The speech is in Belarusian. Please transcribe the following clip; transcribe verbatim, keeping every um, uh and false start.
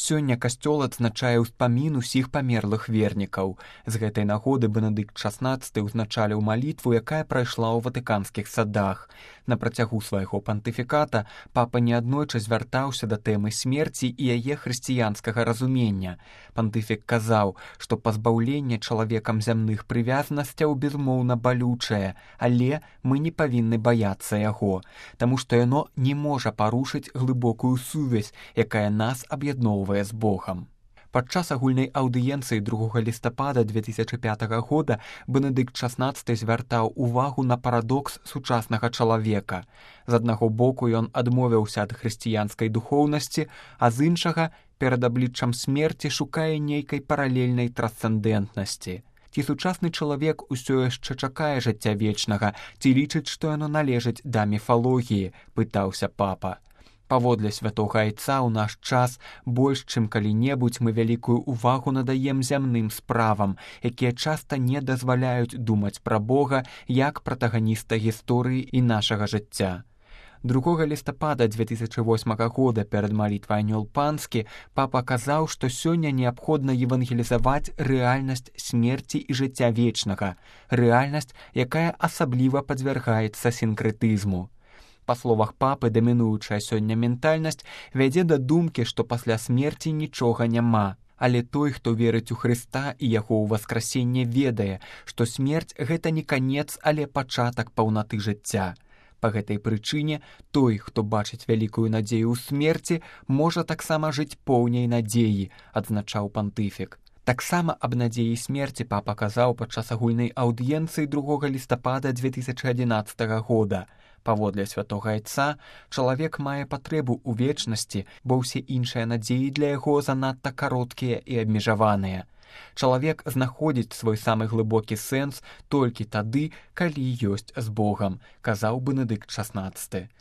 Сёння касцёл адзначае ўспамін усіх памерлых вернікаў. З гэтай нагоды Бенедыкт шаснаццаты ўзначаліў малітву, якая прайшла ў ватыканскіх садах. На працягу свайго пантыфіката папа неаднойчы звяртаўся да тэмы смерці і яе хрысціянскага разумення. Пантыфік казаў, што пазбаўленне чалавекам зямных прывязанасцяў безумоўна балючае, але мы не павінны баяцца яго, таму што яно не можа парушыць глыбокую сувязь, якая нас аб'ядноўвае з Богам. Падчас агульнай аўдыенцыі другога лістапада две тысячы пятага года Бенедыкт шаснаццаты звяртаў увагу на парадокс сучаснага чалавека. З аднаго боку ён адмовіўся ад хрысціянскай духоўнасці, а з іншага перад абліччам смерці шукае нейкай паралельнай трансцэндэнтнасці. Ці сучасны чалавек усё яшчэ чакае жыцця вечнага, ці лічыць, што яно належыць да міфалогіі, пытаўся папа. Паводле святога айца ў наш час больш, чым калі-небудзь мы вялікую ўвагу надаем зямным справам, якія часта не дазваляюць думаць пра Бога як пратаганіста гісторыі і нашага жыцця. другога лістапада две тысячы восьмага года перад малітвай Анёл Панскі папа казаў, што сёння неабходна евангелізаваць рэальнасць смерці і жыцця вечнага, рэальнасць, якая асабліва падвяргаецца сінкрэтызму. Па словах папы, дамінуючая сёння ментальнасць вядзе да думкі, што пасля смерці нічога няма. Але той, хто верыць у Хрыста і яго ўваскрасенне, ведае, што смерць – гэта не канец, але пачатак паўнаты жыцця. Па гэтай прычыне той, хто бачыць вялікую надзею ў смерці, можа таксама жыць поўняй надзеі, адзначаў пантыфік. Таксама аб надзеі смерці папа казаў падчас агульнай аўдыенцыі другога лістапада две тысячы адзінаццатага года. Паводле святога айца, чалавек мае патрэбу ў вечнасці, бо ўсе іншыя надзеі для яго занадта кароткія і абмежаваныя. Чалавек знаходзіць свой самы глыбокі сэнс толькі тады, калі ёсць з Богам, казаў Бенедыкт шаснаццаты.